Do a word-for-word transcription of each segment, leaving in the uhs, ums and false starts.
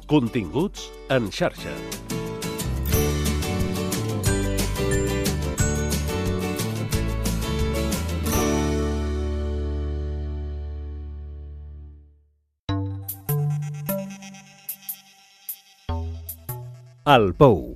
Continguts en xarxa. El Pou.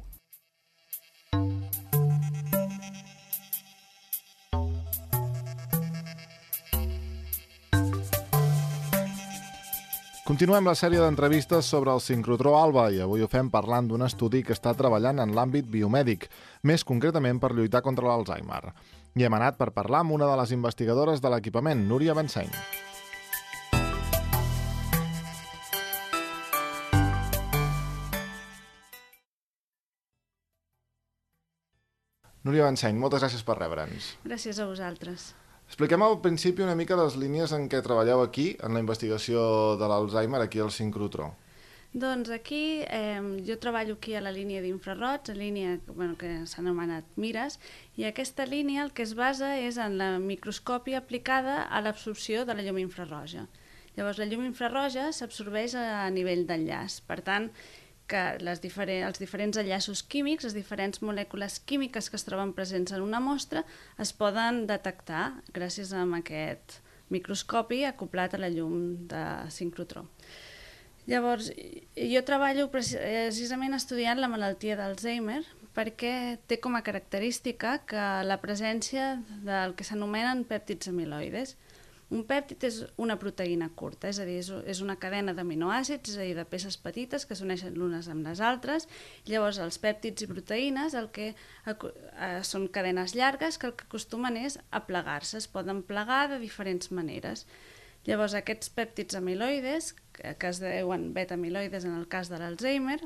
Continuem la sèrie d'entrevistes sobre el sincrotró ALBA i avui ho fem parlant d'un estudi que està treballant en l'àmbit biomèdic, més concretament per lluitar contra l'Alzheimer. I hem anat per parlar amb una de les investigadores de l'equipament, Núria Benseny. Núria Benseny, moltes gràcies per rebre'ns. Gràcies a vosaltres. Expliquem al principi una mica les línies en què treballeu aquí, en la investigació de l'Alzheimer, aquí al sincrotró. Doncs aquí, eh, jo treballo aquí a la línia d'infraroig, la línia bueno, que s'ha anomenat MIRAS, i aquesta línia el que es basa és en la microscòpia aplicada a l'absorció de la llum infraroja. Llavors, la llum infraroja s'absorbeix a nivell d'enllaç, per tant, que les diferents, els diferents enllaços químics, les diferents molècules químiques que es troben presents en una mostra es poden detectar gràcies a aquest microscopi acoplat a la llum de sincrotró. Llavors, jo treballo precisament estudiant la malaltia d'Alzheimer perquè té com a característica que la presència del que s'anomenen pèptids amiloides. Un pèptid és una proteïna curta, és a dir, és una cadena d'aminoàcids, és a dir, de peces petites que s'uneixen l'unes amb les altres. Llavors, els pèptids i proteïnes el que són cadenes llargues que el que acostumen és a plegar-se, es poden plegar de diferents maneres. Llavors, aquests pèptids amiloides, que es deuen beta-amiloides en el cas de l'Alzheimer,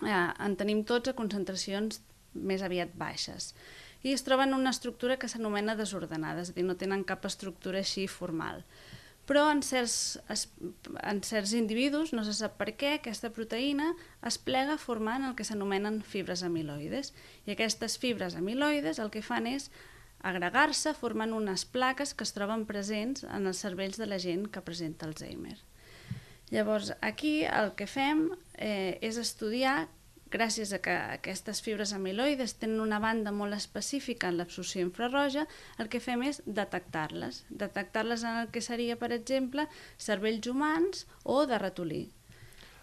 en tenim tots a concentracions més aviat baixes. I es troben en una estructura que s'anomena desordenada, és a dir, no tenen cap estructura així formal. Però en certs, en certs individus, no se sap per què, aquesta proteïna es plega formant el que s'anomenen fibres amiloides. I aquestes fibres amiloides el que fan és agregar-se formant unes plaques que es troben presents en els cervells de la gent que presenta Alzheimer. Llavors, aquí el que fem eh, és estudiar, gràcies a que aquestes fibres amiloides tenen una banda molt específica en l'absorció infraroja, el que fem és detectar-les. Detectar-les en el que seria, per exemple, cervells humans o de ratolí.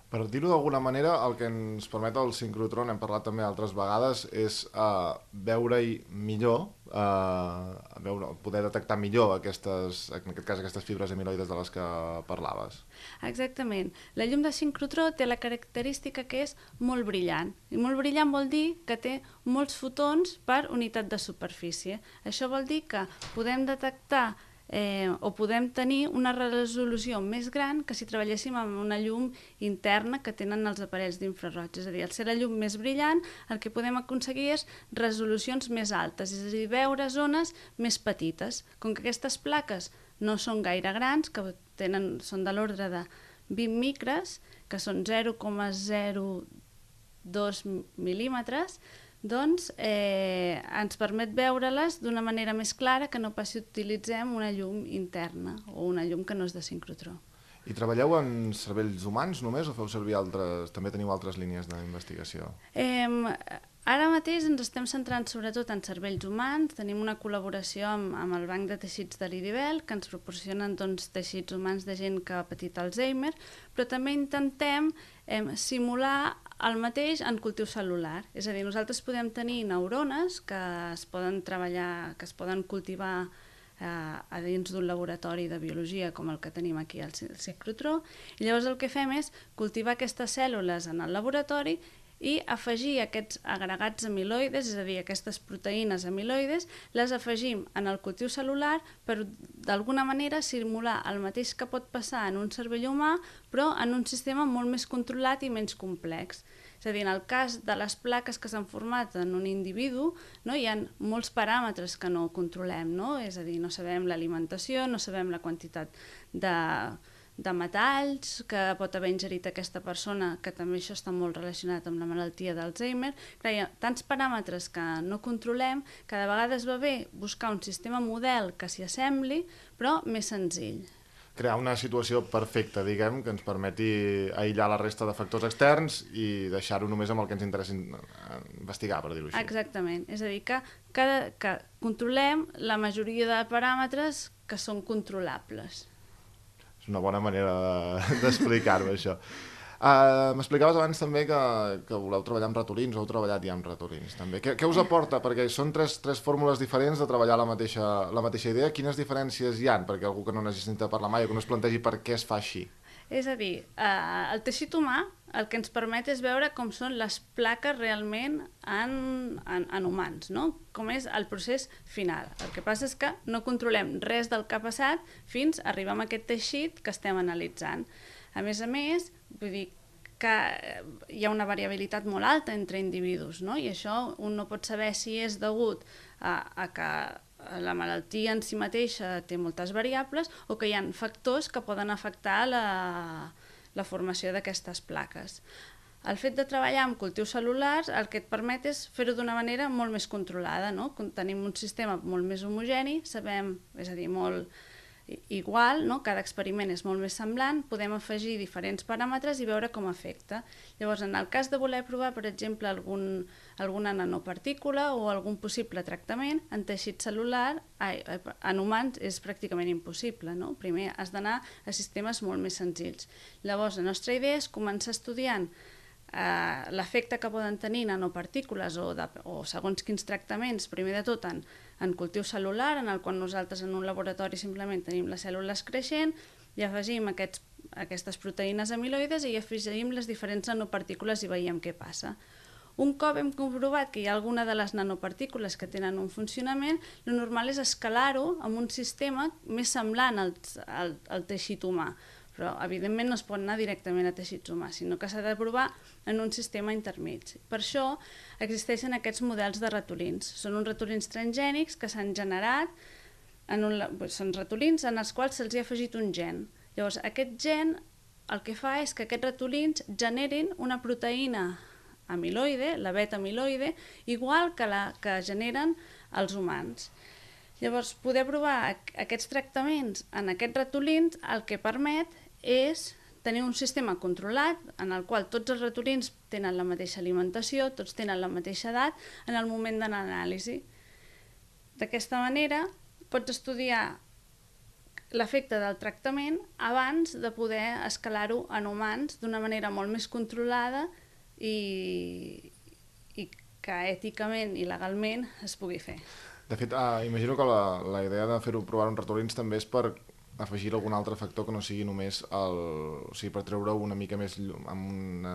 Per dir-ho d'alguna manera, el que ens permet el sincrotró, n'hem parlat també altres vegades, és uh, veure-hi millor, uh, veure, poder detectar millor aquestes, en aquest cas aquestes fibres amiloides de les que parlaves. Exactament. La llum de sincrotró té la característica que és molt brillant. I molt brillant vol dir que té molts fotons per unitat de superfície. Això vol dir que podem detectar Eh, o podem tenir una resolució més gran que si treballéssim amb una llum interna que tenen els aparells d'infraroig. És a dir, al ser la llum més brillant, el que podem aconseguir és resolucions més altes, és a dir, veure zones més petites. Com que aquestes plaques no són gaire grans, que tenen, són de l'ordre de vint micres, que són zero coma zero dos mil·límetres, doncs eh, ens permet veure-les d'una manera més clara que no pas si utilitzem una llum interna o una llum que no és de sincrotró. I treballeu en cervells humans només o feu servir altres, també teniu altres línies d'investigació? Eh, ara mateix ens estem centrant sobretot en cervells humans, tenim una col·laboració amb, amb el Banc de Teixits de l'I D I B E L que ens proporcionen doncs, teixits humans de gent que ha patit Alzheimer, però també intentem eh, simular el mateix en cultiu cel·lular, és a dir, nosaltres podem tenir neurones que es poden treballar, que es poden cultivar eh, a dins d'un laboratori de biologia com el que tenim aquí al sincrotró, i llavors el que fem és cultivar aquestes cèl·lules en el laboratori i afegir aquests agregats amiloides, és a dir, aquestes proteïnes amiloides, les afegim en el cultiu cel·lular per d'alguna manera simular el mateix que pot passar en un cervell humà, però en un sistema molt més controlat i menys complex. És a dir, en el cas de les plaques que s'han format en un individu, no, hi ha molts paràmetres que no controlem, no? És a dir, no sabem l'alimentació, no sabem la quantitat de de metalls que pot haver ingerit aquesta persona, que també això està molt relacionat amb la malaltia d'Alzheimer. Clar, hi ha tants paràmetres que no controlem que de vegades va bé buscar un sistema model que s'hi assembli, però més senzill. crear una situació perfecta, diguem, que ens permeti aïllar la resta de factors externs i deixar-ho només amb el que ens interessa investigar, per dir-ho així. Exactament, és a dir, que, cada, que controlem la majoria de paràmetres que són controlables. És una bona manera d'explicar-ho, això. Uh, M'explicaves abans també que, que voleu treballar amb ratolins, o heu treballat ja amb ratolins també. Què, què us aporta? Perquè són tres, tres fórmules diferents de treballar la mateixa, la mateixa idea. Quines diferències hi ha? Perquè algú que no n'hagi sentit parlar mai o que no es plantegi per què es fa així. És a dir, uh, el teixit humà el que ens permet és veure com són les plaques realment en, en, en humans, no? Com és el procés final. El que passa és que no controlem res del que ha passat fins a arribar a aquest teixit que estem analitzant. A més a més, vull dir que hi ha una variabilitat molt alta entre individus, no? I això un no pot saber si és degut a, a que la malaltia en si mateixa té moltes variables o que hi ha factors que poden afectar la, la formació d'aquestes plaques. El fet de treballar amb cultius cel·lulars el que et permet és fer-ho d'una manera molt més controlada, no? Tenim un sistema molt més homogeni, sabem, és a dir, molt igual, no? Cada experiment és molt més semblant, podem afegir diferents paràmetres i veure com afecta. Llavors, en el cas de voler provar, per exemple, algun, alguna nanopartícula o algun possible tractament, en teixit cel·lular, ai, en humans és pràcticament impossible, no? Primer has d'anar a sistemes molt més senzills. Llavors, la nostra idea és començar estudiant eh, l'efecte que poden tenir nanopartícules o, de, o segons quins tractaments, primer de tot en en cultiu cel·lular, en el qual nosaltres en un laboratori simplement tenim les cèl·lules creixent i afegim aquests, aquestes proteïnes amiloides i afegim les diferents nanopartícules i veiem què passa. Un cop hem comprovat que hi ha alguna de les nanopartícules que tenen un funcionament, el normal és escalar-ho amb un sistema més semblant al, al, al teixit humà. Però, evidentment, no es pot anar directament a teixits humans, sinó que s'ha de provar en un sistema intermig. Per això existeixen aquests models de ratolins. Són uns ratolins transgènics que s'han generat, en un, són ratolins en els quals se'ls ha afegit un gen. Llavors, aquest gen el que fa és que aquests ratolins generin una proteïna amiloide, la beta-amiloide, igual que la que generen els humans. Llavors, poder provar aquests tractaments en aquests ratolins el que permet és tenir un sistema controlat en el qual tots els ratolins tenen la mateixa alimentació, tots tenen la mateixa edat en el moment de l'anàlisi. D'aquesta manera pots estudiar l'efecte del tractament abans de poder escalar-ho en humans d'una manera molt més controlada i, i que èticament i legalment es pugui fer. De fet, ah, imagino que la, la idea de fer-ho provar en ratolins també és per afegir algun altre factor que no sigui només el... O sigui, per treure una mica més... Amb una,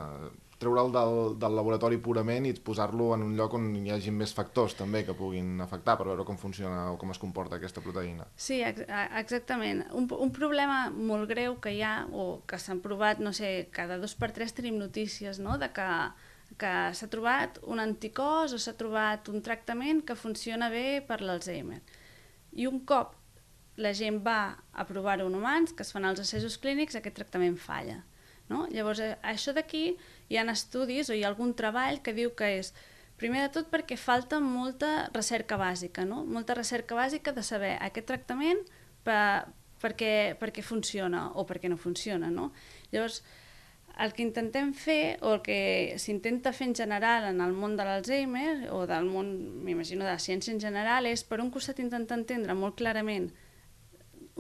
treure'l del, del laboratori purament i posar-lo en un lloc on hi hagi més factors també que puguin afectar per veure com funciona o com es comporta aquesta proteïna. Sí, ex exactament. Un, un problema molt greu que hi ha, o que s'han provat, no sé, cada dos per tres tenim notícies, no?, de que que s'ha trobat un anticòs o s'ha trobat un tractament que funciona bé per l'Alzheimer. I un cop la gent va a provar-ho en humans, que es fan els assajos clínics, aquest tractament falla. No? Llavors, això d'aquí hi ha estudis o hi ha algun treball que diu que és, primer de tot perquè falta molta recerca bàsica, no? Molta recerca bàsica de saber aquest tractament per, per, què, per què funciona o per què no funciona. No? Llavors, el que intentem fer, o el que s'intenta fer en general en el món de l'Alzheimer, o del món, m'imagino, de la ciència en general, és per un costat intentar entendre molt clarament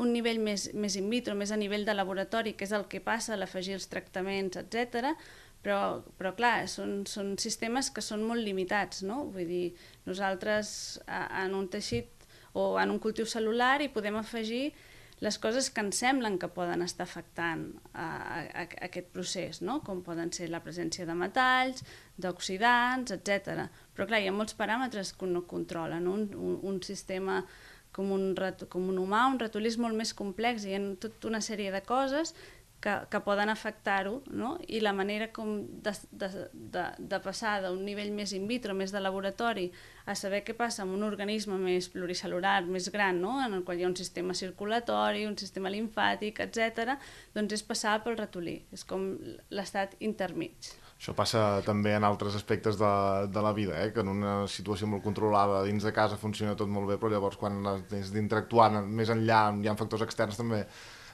un nivell més, més in vitro, més a nivell de laboratori, que és el que passa a l'afegir els tractaments, etcètera. Però, però clar, són, són sistemes que són molt limitats, no? Vull dir, nosaltres en un teixit o en un cultiu cel·lular hi podem afegir les coses que ens semblen que poden estar afectant a, a, a aquest procés, no? Com poden ser la presència de metalls, d'oxidants, etcètera. Però clar, hi ha molts paràmetres que un no controla, no? Un, un, un sistema com un, com un humà, un ratolí és molt més complex, hi ha tota una sèrie de coses que, que poden afectar-ho, no? I la manera com de, de, de, de passar d'un nivell més in vitro, més de laboratori, a saber què passa amb un organisme més pluricel·lular, més gran, no? En el qual hi ha un sistema circulatori, un sistema limfàtic, etcètera, doncs és passar pel ratolí, és com l'estat intermig. Això passa també en altres aspectes de, de la vida, eh? Que en una situació molt controlada dins de casa funciona tot molt bé, però llavors quan has d'interactuar més enllà, hi ha factors externs també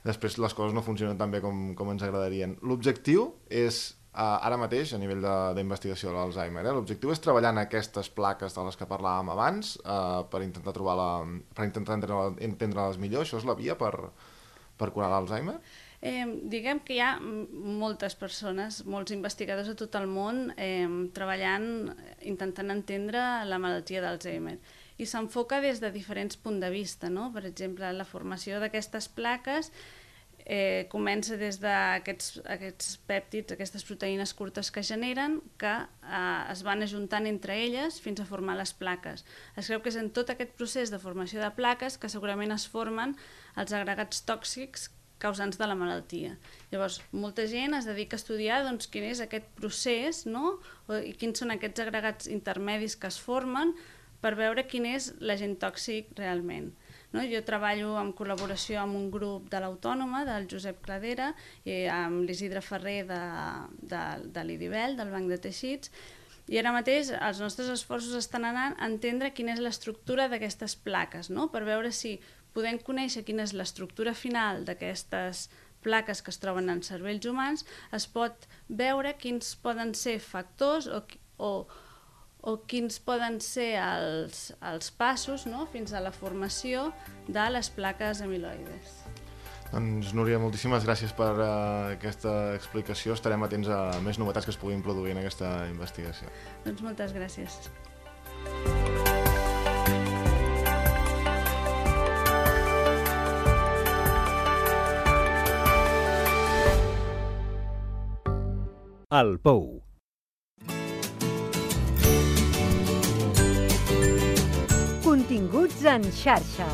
després les coses no funcionen tan bé com, com ens agradarien. L'objectiu és, uh, ara mateix, a nivell d'investigació de l'Alzheimer, eh, l'objectiu és treballar en aquestes plaques de les que parlàvem abans uh, per intentar trobar la, per intentar entendre-les millor. Això és la via per, per curar l'Alzheimer? Eh, diguem que hi ha moltes persones, molts investigadors de tot el món eh, treballant, intentant entendre la malaltia d'Alzheimer. I s'enfoca des de diferents punts de vista, no? Per exemple, la formació d'aquestes plaques eh, comença des d'aquests aquests pèptids, aquestes proteïnes curtes que generen, que eh, es van ajuntant entre elles fins a formar les plaques. Es creu que és en tot aquest procés de formació de plaques que segurament es formen els agregats tòxics causants de la malaltia. Llavors, molta gent es dedica a estudiar doncs, quin és aquest procés, no? I quins són aquests agregats intermedis que es formen per veure quin és l'agent tòxic realment. No? Jo treballo en col·laboració amb un grup de l'Autònoma, del Josep Cladera, i amb l'Isidre Ferrer de, de, de l'Idibel, del Banc de Teixits, i ara mateix els nostres esforços estan anant a entendre quina és l'estructura d'aquestes plaques, no? Per veure si podem conèixer quina és l'estructura final d'aquestes plaques que es troben en cervells humans, es pot veure quins poden ser factors o, o, o quins poden ser els, els passos, no? Fins a la formació de les plaques amiloides. Doncs, Núria, moltíssimes gràcies per uh, aquesta explicació. Estarem atents a més novetats que es puguin produir en aquesta investigació. Doncs moltes gràcies. El Pou. Continguts en xarxa.